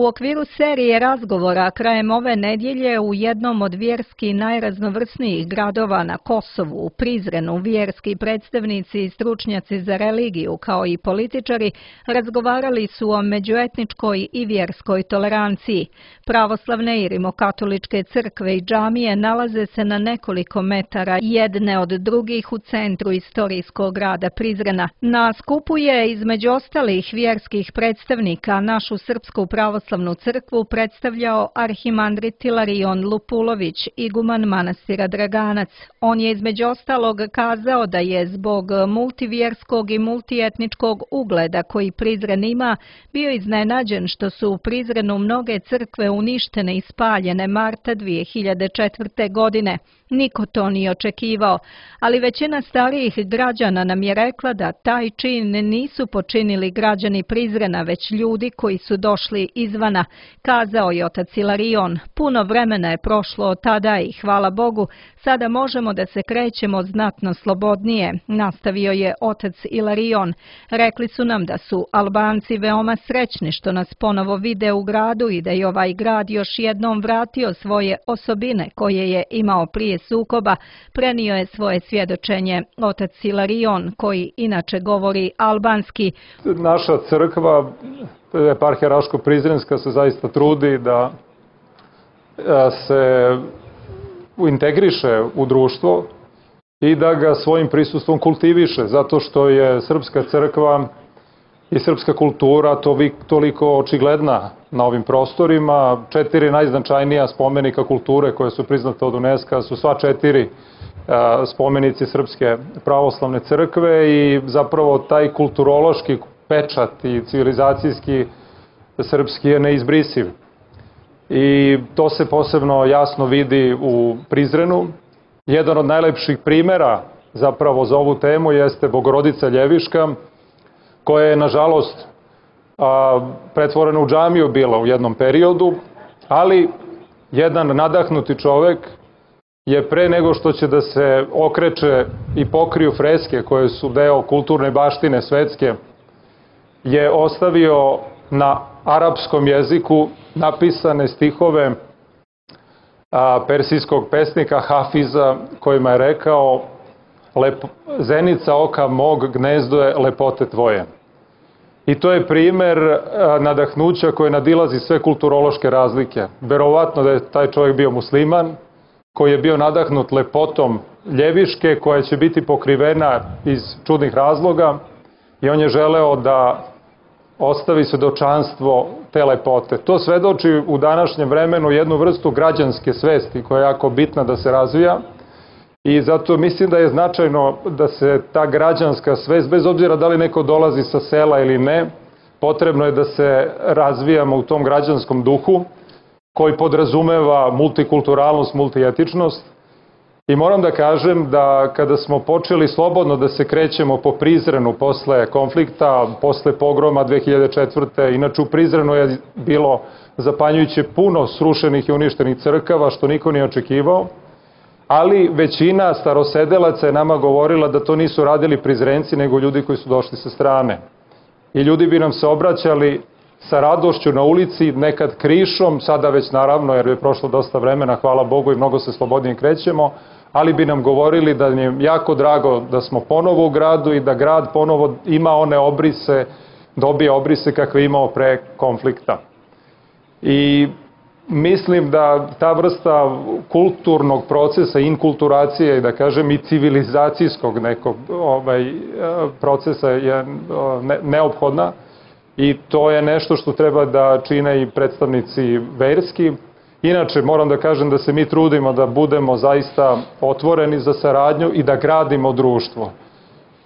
U okviru serije razgovora krajem ove nedjelje u jednom od vjerski najraznovrsnijih gradova na Kosovu, u Prizrenu, vjerski predstavnici i stručnjaci za religiju kao i političari razgovarali su o međuetničkoj i vjerskoj toleranciji. Pravoslavne i rimokatoličke crkve i džamije nalaze se na nekoliko metara jedne od drugih u centru istorijskog grada Prizrena. Na skupu je između ostalih vjerskih predstavnika našu Srpsku pravoslavnu crkvu predstavljao arhimandrit Ilarion Lupulović, iguman manastira Draganac. On je između ostalog kazao da je zbog multivjerskog i multietničkog ugleda koji Prizren ima bio iznenađen što su u Prizrenu mnoge crkve uništene i spaljene marta 2004. godine. Niko to nije očekivao, ali većina starijih građana nam je rekla da taj čin nisu počinili građani Prizrena, već ljudi koji su došli izvana, kazao je otac Ilarion. Puno vremena je prošlo od tada i hvala Bogu, sada možemo da se krećemo znatno slobodnije, nastavio je otac Ilarion. Rekli su nam da su Albanci veoma srećni što nas ponovo vide u gradu i da je ovaj grad još jednom vratio svoje osobine koje je imao prije sukoba, prenio je svoje svjedočenje otac Ilarion, koji inače govori albanski. Naša crkva, eparhija Raško-Prizrenska, se zaista trudi da se integriše u društvo i da ga svojim prisustvom kultiviše, zato što je srpska crkva i srpska kultura toliko očigledna na ovim prostorima. 4 najznačajnija spomenika kulture koje su priznate od UNESCO su sva 4 spomenici Srpske pravoslavne crkve i zapravo taj kulturološki pečat i civilizacijski srpski je neizbrisiv. I to se posebno jasno vidi u Prizrenu. Jedan od najlepših primera zapravo za ovu temu jeste Bogorodica Ljeviška, koja je nažalost pretvorena u džamiju bila u jednom periodu, ali jedan nadahnuti čovek je pre nego što će da se okreće i pokriju freske koje su deo kulturne baštine svetske, je ostavio na arapskom jeziku napisane stihove persijskog pesnika Hafiza, kojima je rekao: zenica oka mog, gnezdo je lepote tvoje. I to je primer nadahnuća koje nadilazi sve kulturološke razlike. Verovatno da je taj čovjek bio musliman, koji je bio nadahnut lepotom Ljeviške, koja će biti pokrivena iz čudnih razloga, i on je želeo da ostavi svedočanstvo te lepote. To svedoči u današnjem vremenu jednu vrstu građanske svesti koja je jako bitna da se razvija, i zato mislim da je značajno da se ta građanska svest, bez obzira da li neko dolazi sa sela ili ne, potrebno je da se razvijamo u tom građanskom duhu koji podrazumeva multikulturalnost, multietičnost. I moram da kažem da kada smo počeli slobodno da se krećemo po Prizrenu posle konflikta, posle pogroma 2004. Inače u Prizrenu je bilo zapanjujuće puno srušenih i uništenih crkava, što niko nije očekivao, ali većina starosedelaca je nama govorila da to nisu radili Prizrenci, nego ljudi koji su došli sa strane. I ljudi bi nam se obraćali sa radošću na ulici, nekad krišom, sada već naravno, jer je prošlo dosta vremena, hvala Bogu, i mnogo se slobodnije krećemo, ali bi nam govorili da je jako drago da smo ponovo u gradu i da grad ponovo ima one obrise, dobije obrise kakve je imao pre konflikta. I mislim da ta vrsta kulturnog procesa, inkulturacije, da kažem i civilizacijskog nekog procesa je neophodna, i to je nešto što treba da čine i predstavnici verski. Inače, moram da kažem da se mi trudimo da budemo zaista otvoreni za saradnju i da gradimo društvo,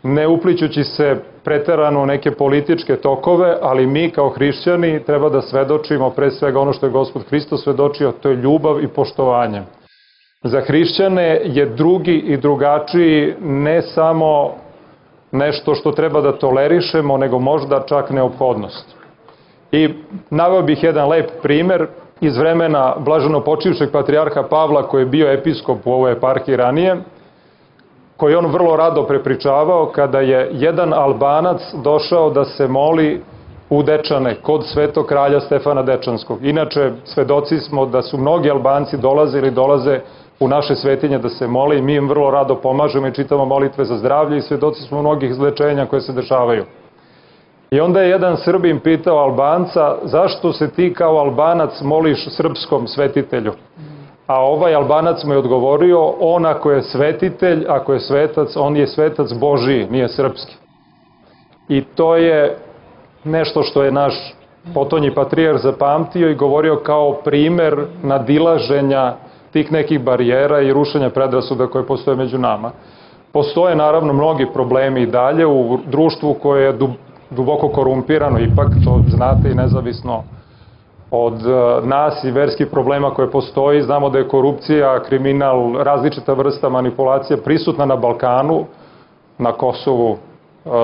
ne uplićući se preterano u neke političke tokove, ali mi kao hrišćani treba da svedočimo pre svega ono što je Gospod Hristos svedočio, to je ljubav i poštovanje. Za hrišćane je drugi i drugačiji ne samo nešto što treba da tolerišemo, nego možda čak neophodnost. I naveo bih jedan lep primer iz vremena blaženo počivšeg patrijarha Pavla, koji je bio episkop u ovoj eparhiji ranije, koji on vrlo rado prepričavao kada je jedan Albanac došao da se moli u Dečane kod svetog kralja Stefana Dečanskog. Inače, svedoci smo da su mnogi Albanci dolaze u naše svetinje da se mole i mi im vrlo rado pomažemo i čitamo molitve za zdravlje i svedoci smo mnogih izlečenja koje se dešavaju. I onda je jedan Srbin pitao Albanca, zašto se ti kao Albanac moliš srpskom svetitelju? A ovaj Albanac mu je odgovorio, on ako je svetitelj, ako je svetac, on je svetac Božiji, nije srpski. I to je nešto što je naš potonji patrijarh zapamtio i govorio kao primer nadilaženja tih nekih barijera i rušenja predrasuda koje postoje među nama. Postoje naravno mnogi problemi i dalje u društvu koje je duboko korumpirano, ipak to znate i nezavisno od nas i verskih problema koje postoji. Znamo da je korupcija, kriminal, različita vrsta manipulacija prisutna na Balkanu, na Kosovu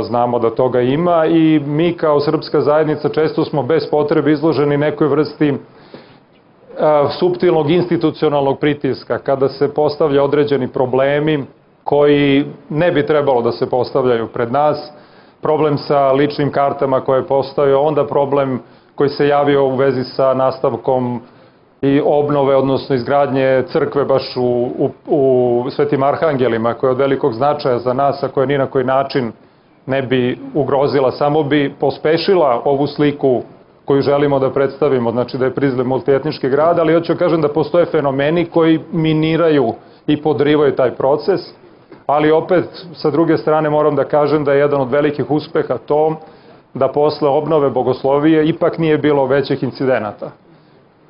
znamo da toga ima i mi kao srpska zajednica često smo bez potrebe izloženi nekoj vrsti suptilnog institucionalnog pritiska kada se postavlja određeni problemi koji ne bi trebalo da se postavljaju pred nas, problem sa ličnim kartama koje postoje, onda problem koji se javio u vezi sa nastavkom i obnove, odnosno izgradnje crkve baš u Svetim Arhangelima, koja je od velikog značaja za nas, a koja ni na koji način ne bi ugrozila, samo bi pospešila ovu sliku koju želimo da predstavimo, znači da je Prizren multietnički grad, ali hoću kažem da postoje fenomeni koji miniraju i podrivaju taj proces, ali opet sa druge strane moram da kažem da je jedan od velikih uspeha to da posle obnove bogoslovije ipak nije bilo većih incidenata.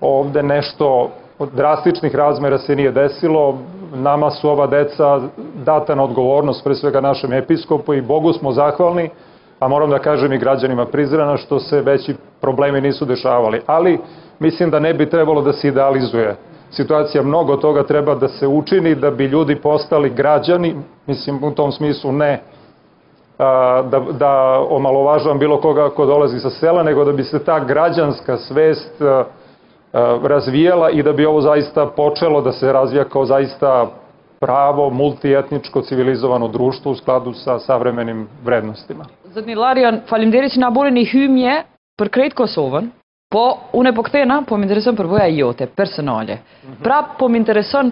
Ovde nešto od drastičnih razmera se nije desilo, nama su ova deca data na odgovornost, pre svega našem episkopu i Bogu smo zahvalni, a moram da kažem i građanima Prizrena što se veći problemi nisu dešavali. Ali mislim da ne bi trebalo da se idealizuje situacija, mnogo toga treba da se učini da bi ljudi postali građani, mislim u tom smislu ne da omalovažavam bilo koga ko dolazi sa sela, nego da bi se ta građanska svest razvijala i da bi ovo zaista počelo da se razvija kao zaista pravo, multietničko, civilizovano društvo u skladu sa savremenim vrednostima. Zotni Larion, faleminderit që na buni një hymje për krejt Kosovën, po unë e po kthena, po më intereson përvoja jote, personale. Pra po më intereson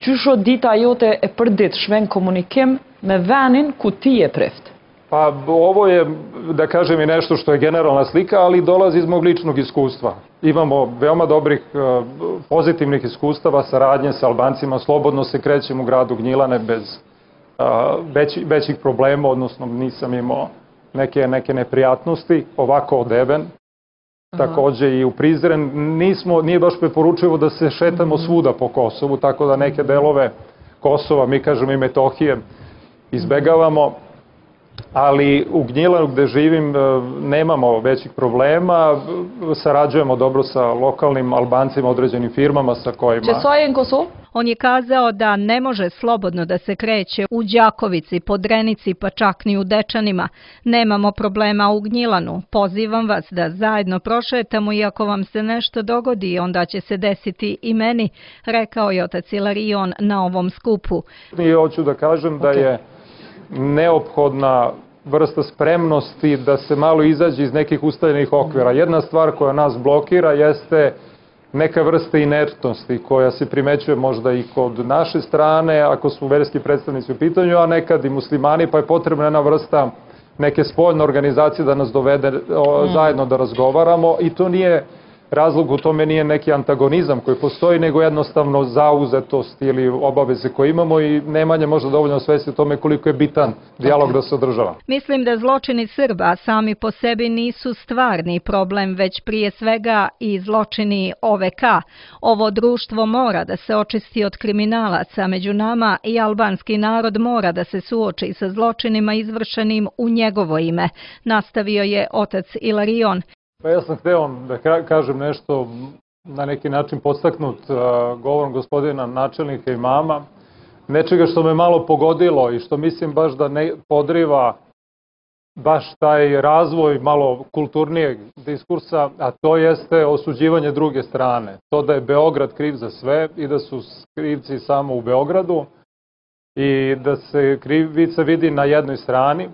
qysho dita jote e përditshme në komunikim me venin ku ti je prift. Pa ovo je, da kažem, i nešto što je generalna slika, ali dolazi iz mog ličnog iskustva. Imamo veoma dobrih pozitivnih iskustava, saradnje sa Albancima, slobodno se krećem u gradu Gnjilane bez većih problema, odnosno nisam imao neke neprijatnosti, ovako odeven. Takođe i u Prizren nije baš preporučivo da se šetamo svuda po Kosovu, tako da neke delove Kosova, mi kažemo i Metohije, izbegavamo, ali u Gnjilanu gde živim nemamo većih problema, sarađujemo dobro sa lokalnim Albancima, određenim firmama sa kojima... Qësoj në Kosovë? On je kazao da ne može slobodno da se kreće u Đakovici, Podrenici, pa čak ni u Dečanima. Nemamo problema u Gnjilanu. Pozivam vas da zajedno prošetamo i ako vam se nešto dogodi, onda će se desiti i meni, rekao je otac Ilarion na ovom skupu. I hoću da kažem da je neophodna vrsta spremnosti da se malo izađe iz nekih ustaljenih okvira. Jedna stvar koja nas blokira jeste neka vrsta inertnosti koja se primećuje možda i kod naše strane, ako su verski predstavnici u pitanju, a nekad i muslimani, pa je potrebna jedna vrsta neke spoljne organizacije da nas dovede zajedno da razgovaramo i to nije razlog, u tome nije neki antagonizam koji postoji, nego jednostavno zauzetost ili obaveze koje imamo i nemanje možda dovoljno svesti o tome koliko je bitan dijalog da se održava. Mislim da zločini Srba sami po sebi nisu stvarni problem, već prije svega i zločini OVK. Ovo društvo mora da se očisti od kriminalaca među nama i albanski narod mora da se suoči sa zločinima izvršenim u njegovo ime, nastavio je otac Ilarion. Pa ja sam hteo da kažem nešto na neki način podstaknut govorom gospodina načelnika i mama, nečega što me malo pogodilo i što mislim baš da ne podriva baš taj razvoj malo kulturnijeg diskursa, a to jeste osuđivanje druge strane. To da je Beograd kriv za sve i da su krivci samo u Beogradu i da se krivica vidi na jednoj strani.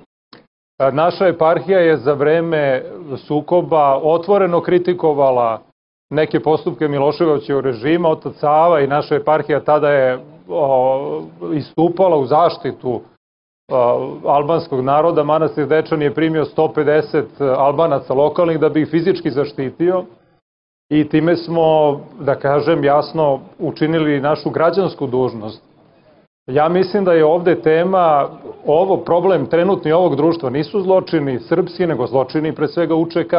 Naša eparhija je za vreme sukoba otvoreno kritikovala neke postupke Miloševićevog režima. Otac Sava i naša eparhija tada je istupala u zaštitu albanskog naroda. Manastir Dečani je primio 150 Albanaca lokalnih da bi ih fizički zaštitio i time smo, da kažem jasno, učinili našu građansku dužnost. Ja mislim da je ovde tema, problem trenutni ovog društva nisu zločini srpski, nego zločini pre svega UČK.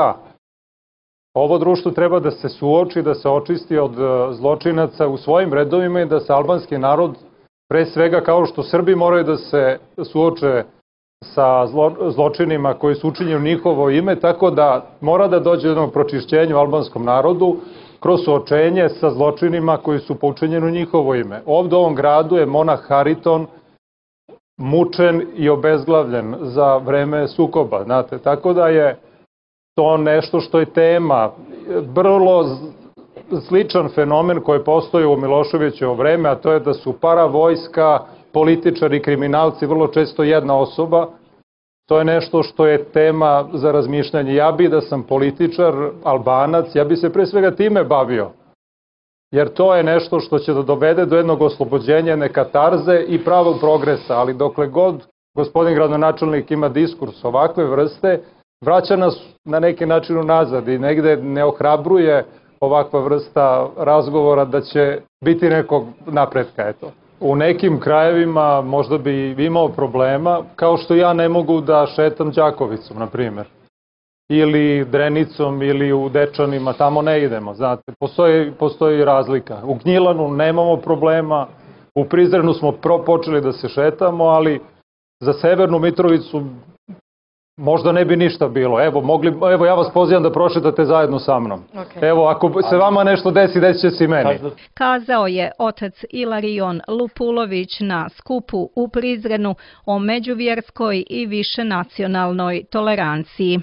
Ovo društvo treba da se suoči, da se očisti od zločinaca u svojim redovima i da se albanski narod, pre svega kao što Srbi moraju da se suoče sa zločinima koji su učinjeni u njihovo ime, tako da mora da dođe do jednog pročišćenja u albanskom narodu kroz suočenje sa zločinima koji su počinjeni u njihovo ime. Ovde u ovom gradu je monah Hariton mučen i obezglavljen za vreme sukoba, znate, tako da je to nešto što je tema, vrlo sličan fenomen koji postoji u Miloševićevo vreme, a to je da su paravojska, političari i kriminalci vrlo često jedna osoba. To je nešto što je tema za razmišljanje. Ja bi da sam političar, Albanac, ja bi se pre svega time bavio. Jer to je nešto što će da dovede do jednog oslobođenja, jedne katarze i pravog progresa. Ali dokle god gospodin gradonačelnik ima diskurs ovakve vrste, vraća nas na neki način unazad i negde ne ohrabruje ovakva vrsta razgovora da će biti nekog napretka, eto. U nekim krajevima možda bi imao problema, kao što ja ne mogu da šetam Đakovicom, na primjer. Ili Drenicom, ili u Dečanima, tamo ne idemo, znate. Postoji razlika. U Gnjilanu nemamo problema, u Prizrenu smo počeli da se šetamo, ali za Severnu Mitrovicu možda ne bi ništa bilo. Evo ja vas pozivam da prošetate zajedno sa mnom. Okay. Evo, ako se vama nešto desi, desit će se i meni. Kazao je otac Ilarion Lupulović na skupu u Prizrenu o međuvjerskoj i višenacionalnoj toleranciji.